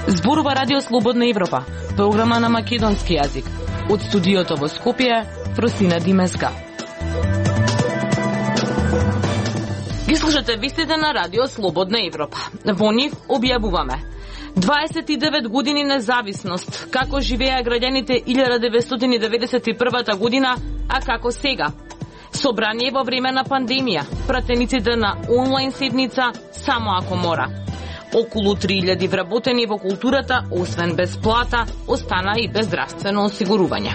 Зборува Радио Слободна Европа, програма на македонски јазик. Од студиото во Скопје, Фросина Димеска. Ги слушате вестите на Радио Слободна Европа. Во нив објавуваме 29 години независност, како живееа граѓаните 1991 година, а како сега. Собрание во време на пандемија, пратениците на онлайн седница само ако мора. Околу 3000 вработени во културата, освен без плата, остана и без здравствено осигурување.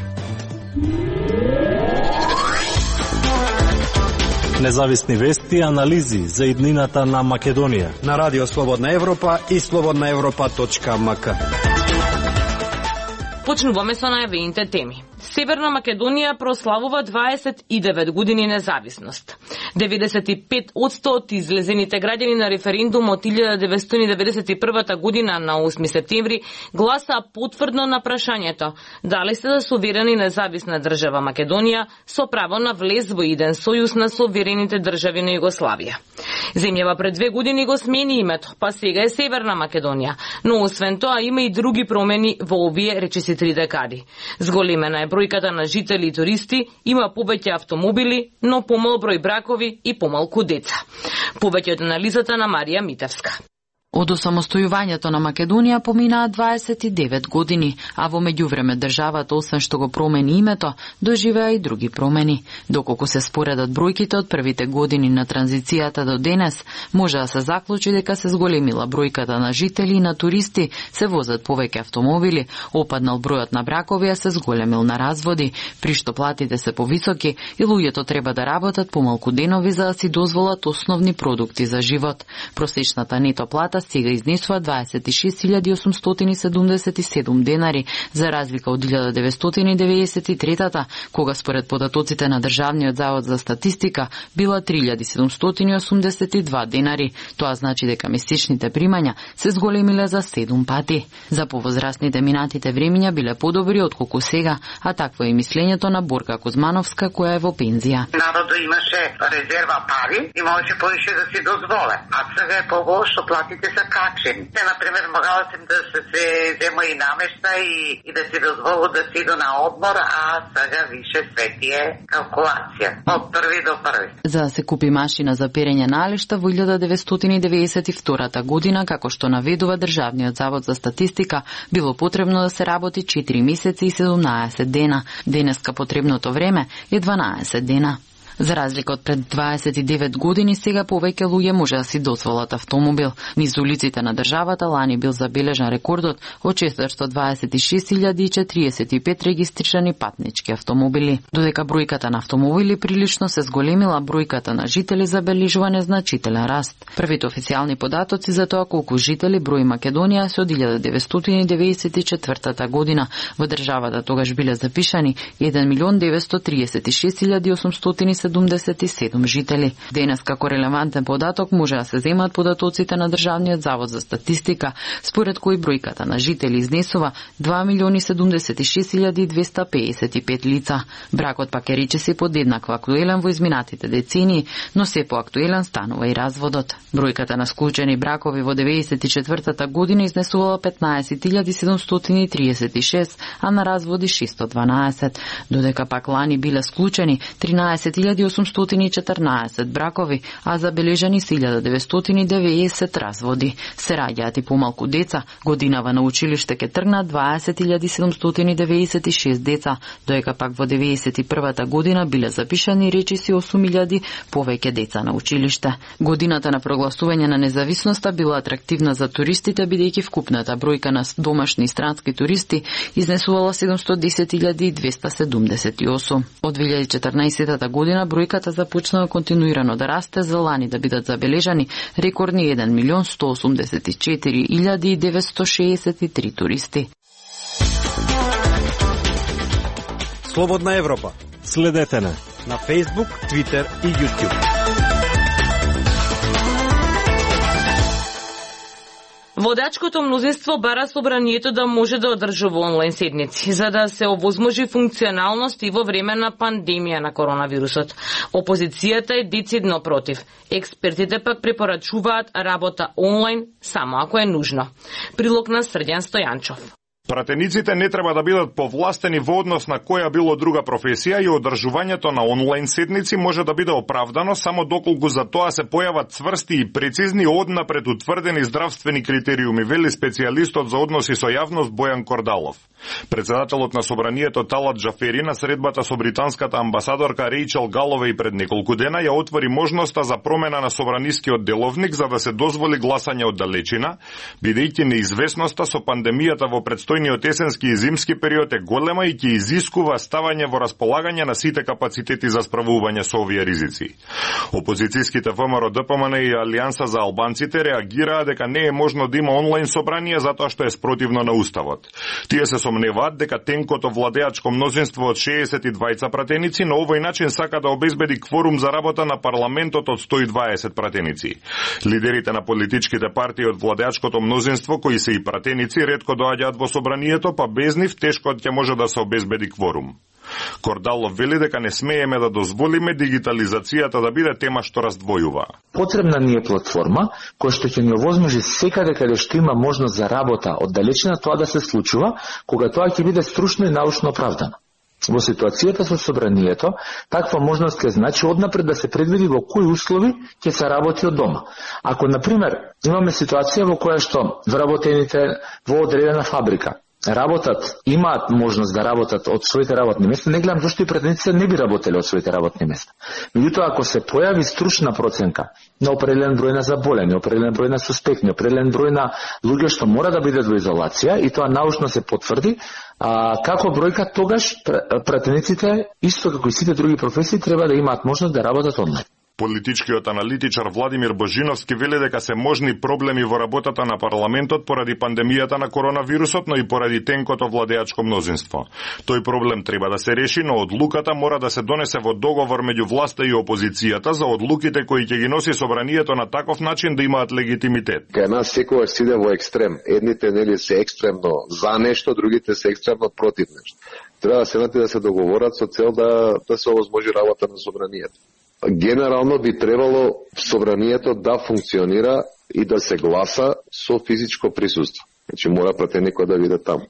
Независни вести и анализи за иднината на Македонија на Радио Слободна Европа и slobodnaevropa.mk. Почнуваме со најавените теми. Северна Македонија прославува 29 години независност. 95% од излезените граѓани на референдум од 1991 година на 8 септември гласаа потврдно на прашањето дали се да суверена независна држава Македонија со право на влез во еден сојуз на суверените држави на Југославија. Земјава пред 2 години го смени името, па сега е Северна Македонија, но освен тоа има и други промени во овие речиси 3 декади. Зголемена е бројката на жители и туристи, има повеќе автомобили, но помал број бракови и помалку деца. Повеќе од анализата на Марија Митевска. Од осамостојувањето на Македонија поминаа 29 години, а во меѓувреме државата, освен што го промени името, доживеа и други промени. Доколку се споредат бројките од првите години на транзицијата до денес, може да се заклучи дека се зголемила бројката на жители и на туристи, се возат повеќе автомобили, опаднал бројот на бракови, а се зголемил на разводи, при што платите се повисоки и луѓето треба да работат помалку денови за да си дозволат основни продукти за живот. Просечната нето плата сега изнесува 26.877 денари, за разлика од 1993-та, кога според податоците на Државниот завод за статистика била 3.782 денари. Тоа значи дека месечните примања се зголемиле за 7 пати. За повозрастните минатите времиња биле подобри отколку сега, а такво е и мислењето на Борка Кузмановска, која е во пензија. Народот имаше резерва пари и можеше повише да си дозволе, а сега е побош што платите са качени. Те, например, могала се да се зема и намешта и да си дозволу да си иду на одмор, а сега више свети е калкулација. Од први до први. За да се купи машина за перење налишта во 1992 година, како што наведува Државниот завод за статистика, било потребно да се работи 4 месеци и 17 дена. Денеска потребното време е 12 дена. За разлика од пред 29 години, сега повеќе луѓе може да си дозволат автомобил. Низ улиците на државата лани бил забележан рекордот од 426.045 регистрирани патнички автомобили. Додека бројката на автомобили прилично се зголемила, бројката на жители забележува незначителен раст. Првите официјални податоци за тоа колку жители брои Македонија се од 1994 година. Во државата тогаш биле запишани 1.936.877 жители. Денес како релевантен податок може да се земат податоците на Државниот завод за статистика, според кој бројката на жители изнесува 2.076.255 лица. Бракот пак е речиси подеднакво актуелен во изминатите децении, но се поактуелен станува и разводот. Бројката на склучени бракови во 1994 година изнесувала 15.736, а на разводи 612, додека пак лани биле склучени 13.814 бракови, а забележани 1990 разводи. Се раѓаат и помалку деца. Годинава на училиште ке тргнат 20.796 деца, доека пак во 1991 година биле запишани речиси 8.000 повеќе деца на училиште. Годината на прогласување на независноста била атрактивна за туристите, бидејќи вкупната бројка на домашни и странски туристи изнесувала 710.278. Од 2014 година бројката започнала континуирано да расте, за лани да бидат забележани рекордни 1.184.963 туристи. Слободна Европа. Следете на Facebook, Twitter и YouTube. Владачкото мнозинство бара собранието да може да одржува онлайн седници, за да се овозможи функционалност и во време на пандемија на коронавирусот. Опозицијата е децидно против. Експертите пак препорачуваат работа онлайн само ако е нужно. Прилог на Срđan Стојанчов. Пратениците не треба да бидат повластени во однос на која било друга професија и одржувањето на онлайн седници може да биде оправдано само доколку за тоа се појават цврсти и прецизни однапред утврдени здравствени критериуми, вели специјалистот за односи со јавност Бојан Кордалов. Председателот на собранието Талат Джафери на средбата со британската амбасадорка Рејчел Галовеј пред неколку дена ја отвори можноста за промена на собранискиот деловник за да се дозволи гласање од далечина, бидејќи неизвестноста со пандемијата во предстојниот есенски и зимски период е голема и ќе изискува ставање во располагање на сите капацитети за справување со овие ризици. Опозицијските ВМРО, ДПМН и Алијанса за албанците реагираа дека не е можно да има онлайн собрание затоа што е спротивно на уставот. Тие се сомневаат дека тенкото владеачко мнозинство од 62 пратеници на овој начин сака да обезбеди кворум за работа на парламентот од 120 пратеници. Лидерите на политичките партии од владеачкото мнозинство, кои се и пратеници, ретко доаѓаат во собранието, па без нив тешко ќе може да се обезбеди кворум. Кордалов вели дека не смееме да дозволиме дигитализацијата да биде тема што раздвојува. Потребна ни е платформа која што ќе ни овозможи секаде каде што има можност за работа од далечина тоа да се случува, кога тоа ќе биде стручно и научно оправдано. Во ситуацијата со собранието, таква можност ќе значи однапред да се предвиди во кои услови ќе се работи од дома. Ако, например, имаме ситуација во која што вработените во одредена фабрика работат, имаат можност да работат од своите работни места, не гледам зашто и пратениците не би работеле од своите работни места. Меѓутоа, ако се појави стручна проценка на определен број на заболени, определен број на суспектни, определен број на луѓе што мора да бидат во изолација и тоа научно се потврди, како бројка, тогаш пратениците, исто како и сите други професии, треба да имаат можност да работат онлайн. Политичкиот аналитичар Владимир Божиновски вели дека се можни проблеми во работата на парламентот поради пандемијата на коронавирусот, но и поради тенкото владеачко мнозинство. Тој проблем треба да се реши, но одлуката мора да се донесе во договор меѓу власта и опозицијата за одлуките кои ќе ги носи собранието на таков начин да имаат легитимитет. Кај нас секогаш се иде во екстрем. Едните нели се екстремно за нешто, другите се екстремно против нешто. Треба да седнат и да се договорат со цел да се овозможи работа на собранието. Генерално би требало собранието да функционира и да се гласа со физичко присуство. Значи мора пратеникот да биде таму.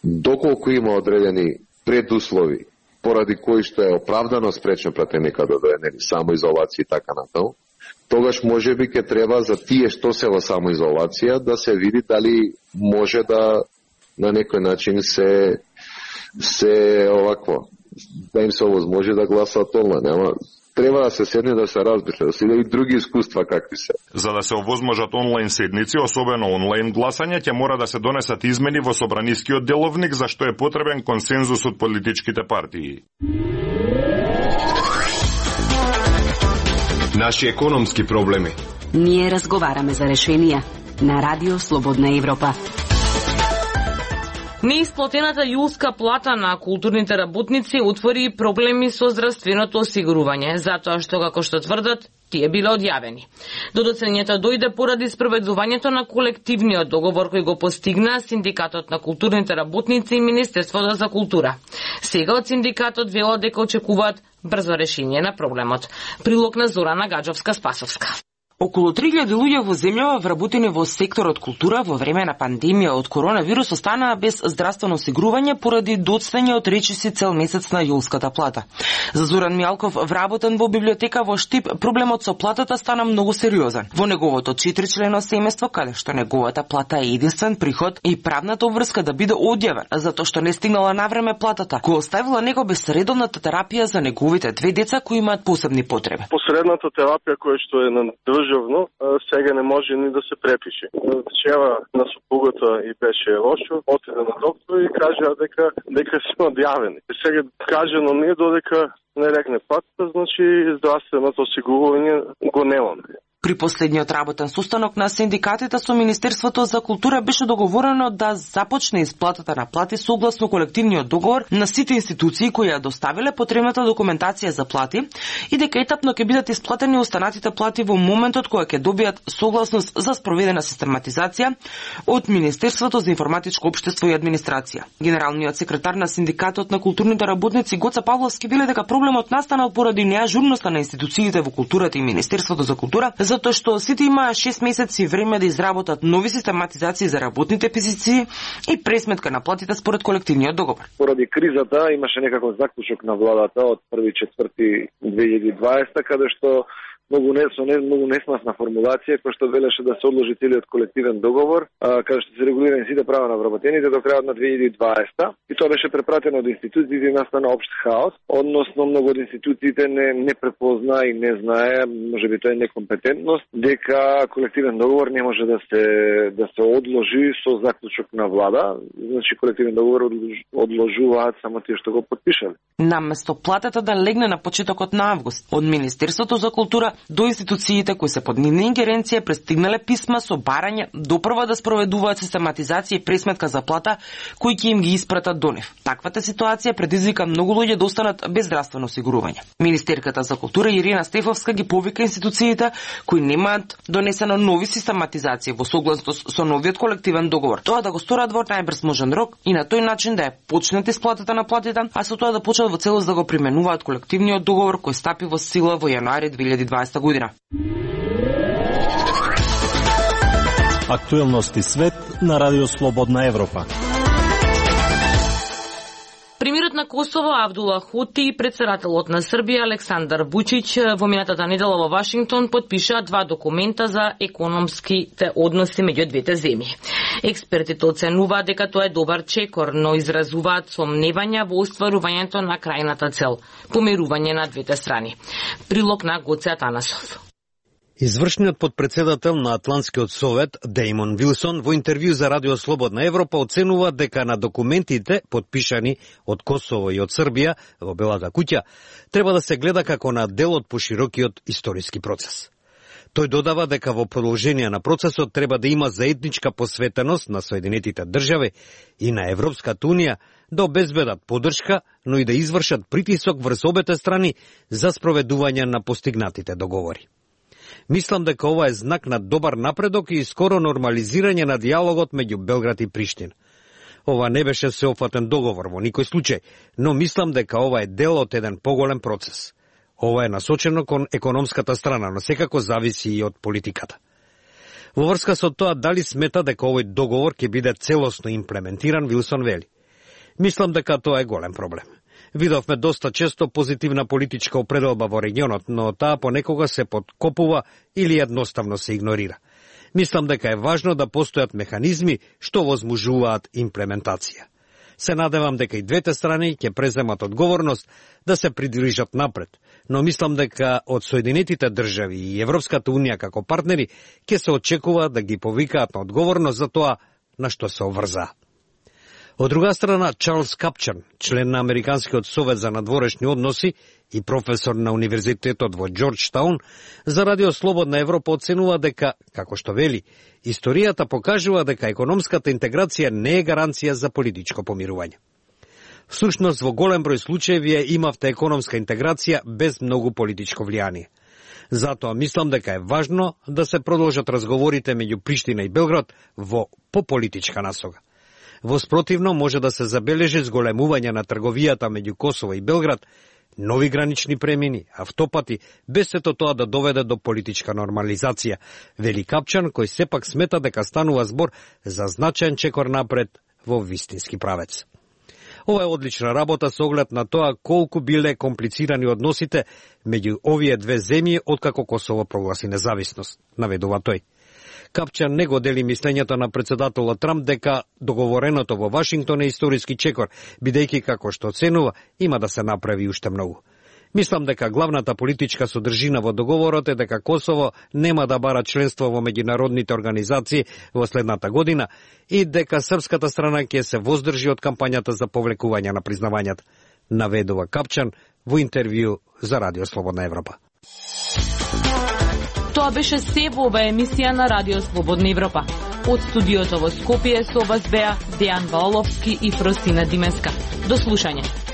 Доколку има одредени предуслови поради кои што е оправдано спречен пратеникот да дојде самоизолација и така натаму, тогаш можеби ќе треба за тие што се во самоизолација да се види дали може да на некој начин се овакво да им се овозможи да гласаат онлайн. Ама треба да се седне да се разбере, да се и други искуства какви се. За да се овозможат онлайн седници, особено онлайн гласање, ќе мора да се донесат измени во собранискиот деловник, за што е потребен консензус од политичките партии. Наши економски проблеми. Ние разговараме за решенија на Радио Слободна Европа. Неисплатената јулска плата на културните работници отвори проблеми со здравственото осигурување, затоа што, како што тврдат, тие биле одјавени. Додоцнењето дојде поради спроведувањето на колективниот договор кој го постигна Синдикатот на културните работници и Министерството за култура. Сега од синдикатот велат дека очекуваат брзо решение на проблемот. Прилог на Зорана Гаджовска-Спасовска. Околу 3000 луѓе во земјава вработени во секторот култура во време на пандемија од коронавирус останаа без здравствено осигурување поради доцнење од речиси цел месец на јулската плата. За Зоран Мијалков, вработен во библиотека во Штип, проблемот со платата стана многу сериозен. Во неговото 4-члено семејство, каде што неговата плата е единствен приход, и правната обврска да биде одјавен, затоа што не стигнала навреме платата, го оставила него без редовната терапија за неговите две деца кои имаат посебни потреби. Посредната терапија која што е на сега не може ни да се препише. Вчера на супругата и беше лошо, отиде на доктор и кажа дека се одјавени. Сега кажано не додека не рекне платата, значи здравственото осигурување го немаме. При последниот работен состанок на синдикатите со Министерството за култура беше договорено да започне исплатата на плати согласно колективниот договор на сите институции кои ја доставиле потребната документација за плати и дека етапно ќе бидат исплатени останатите плати во моментот кога ќе добијат согласност за спроведена систематизација од Министерството за информатичко општество и администрација. Генералниот секретар на синдикатот на културните работници Гоца Павловски веле дека проблемот настанал поради неажурноста на институциите во културата и Министерството за култура, затоа што сите имаа 6 месеци време да изработат нови систематизации за работните позиции и пресметка на платите според колективниот договор. Поради кризата имаше некаков заклучок на владата од 1.4.2020 каде што многу несмасна формулација која што велеше да се одложи целиот колективен договор, каде што се регулирани сите права на вработените до крајот на 2020 и тоа беше препратено од институциите и настана општ хаос, односно многу од институциите не препозна и не знае, можеби тоа е некомпетентност, дека колективен договор не може да се одложи со заклучок на влада, значи колективен договор одложуваат само тие што го подпишале. Наместо платата да легне на почетокот на август, од Министерството за култура до институциите кои се под нивна ингеренција пристигнале писма со барање допрва да спроведуваат систематизација и пресметка за плата кои ќе им ги испратат до нив. Таквата ситуација предизвика многу луѓе да останат без здравствено осигурување. Министерката за култура Ирина Стефовска ги повика институциите кои немаат донесено нови систематизации во согласност со новиот колективен договор. Тоа да го сторат во најбрз можен рок и на тој начин да ја почнат исплатата на платите, а со тоа да почнат во целост да го применуваат колективниот договор кој стапи во сила во јануари 2020 година. Актуелности свет на Радио Слободна Европа. Премиерот на Косово Авдула Хоти и председателот на Србија Александар Вучиќ во минатата недела во Вашингтон подпишаа 2 документа за економските односи меѓу двете земји. Експертите оценуваат дека тоа е добар чекор, но изразуваат сомневања во остварувањето на крајната цел – помирување на двете страни. Прилог на Гоце Атанасов. Извршниот подпредседател на Атлантскиот совет Дејмон Вилсон во интервју за Радио Слободна Европа оценува дека на документите подпишани од Косово и од Србија во Белата куќа треба да се гледа како на дел од поширокиот историски процес. Тој додава дека во продолжение на процесот треба да има заедничка посветеност на Соединетите држави и на Европската унија да обезбедат поддршка, но и да извршат притисок врз обете страни за спроведување на постигнатите договори. Мислам дека ова е знак на добар напредок и скоро нормализирање на диалогот меѓу Белград и Приштина. Ова не беше сеопфатен договор во никој случај, но мислам дека ова е дел од еден поголем процес. Ова е насочено кон економската страна, но секако зависи и од политиката. Во врска со тоа, дали смета дека овој договор ќе биде целосно имплементиран, Вилсон вели: мислам дека тоа е голем проблем. Видовме доста често позитивна политичка определба во регионот, но таа понекога се подкопува или едноставно се игнорира. Мислам дека е важно да постојат механизми што возможуваат имплементација. Се надевам дека и двете страни ќе преземат одговорност да се придвижат напред, но мислам дека од Соединетите држави и Европската унија како партнери ќе се очекува да ги повикаат на одговорност за тоа на што се обврзаа. Од друга страна, Чарлс Капчан, член на Американскиот совет за надворешни односи и професор на универзитетот во Џорџтаун, за Радио Слободна Европа оценува дека, како што вели, историјата покажува дека економската интеграција не е гаранција за политичко помирување. Всушност, во голем број случаеви имавте економска интеграција без многу политичко влијание. Затоа мислам дека е важно да се продолжат разговорите меѓу Приштина и Белград во пополитичка насока. Во спротивно може да се забележи зголемување на трговијата меѓу Косово и Белград, нови гранични премини, автопати, без сето тоа да доведе до политичка нормализација, вели Капчан, кој сепак смета дека станува збор за значаен чекор напред во вистински правец. Ова е одлична работа со оглед на тоа колку биле комплицирани односите меѓу овие две земји откако Косово прогласи независност, наведува тој. Капчан не го дели мислењето на председателот Трамп дека договореното во Вашингтон е историски чекор, бидејќи како што оценува има да се направи уште многу. Мислам дека главната политичка содржина во договорот е дека Косово нема да бара членство во меѓународните организации во следната година и дека српската страна ќе се воздржи од кампањата за повлекување на признавањата, наведува Капчан во интервју за Радио Слободна Европа. Тоа беше се во оваа емисија на Радио Слободна Европа. Од студиото во Скопје со вас беа Дејан Ваоловски и Фросина Димеска. До слушање.